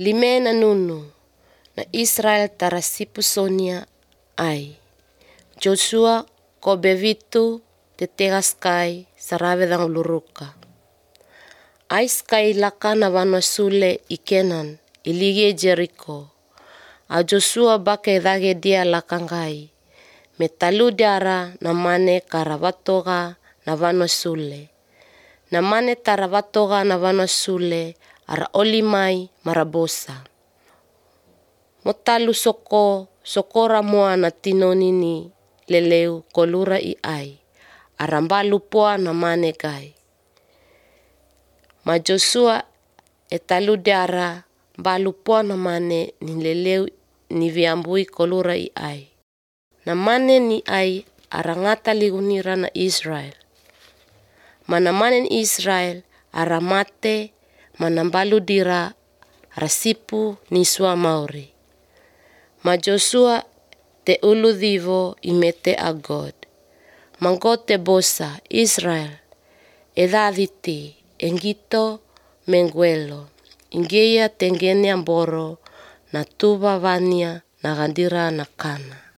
Limena nunu na Israel tara sipusonia ai. Joshua ko bevitu te tegas kai saravedang luruka. Ais kai laka na vanosule i Kenan ilige Jericho. A Joshua bake dage dia lakangai. Me talu diara na mane karavatoga na vanosule. Na mane taravatoga na vanosule ara olimai marabosa. Motalu sokora moa na tinonini leleu kolura i ai. Arambalu poa na mane gai. Ma Joshua e talu diara balu poa na mane ni leleu ni viambui kolura i ai. Na mane ni ai arangata ligunira na Israel. Mana mane ni Israel aramate manambalu dira rasipu ni sua mauri. Ma Joshua te ulu divo imete a God. Mangote bosa Israel edaditi engito menguelo. Ingeia tengene amboro na tuba vania na gandira na kana.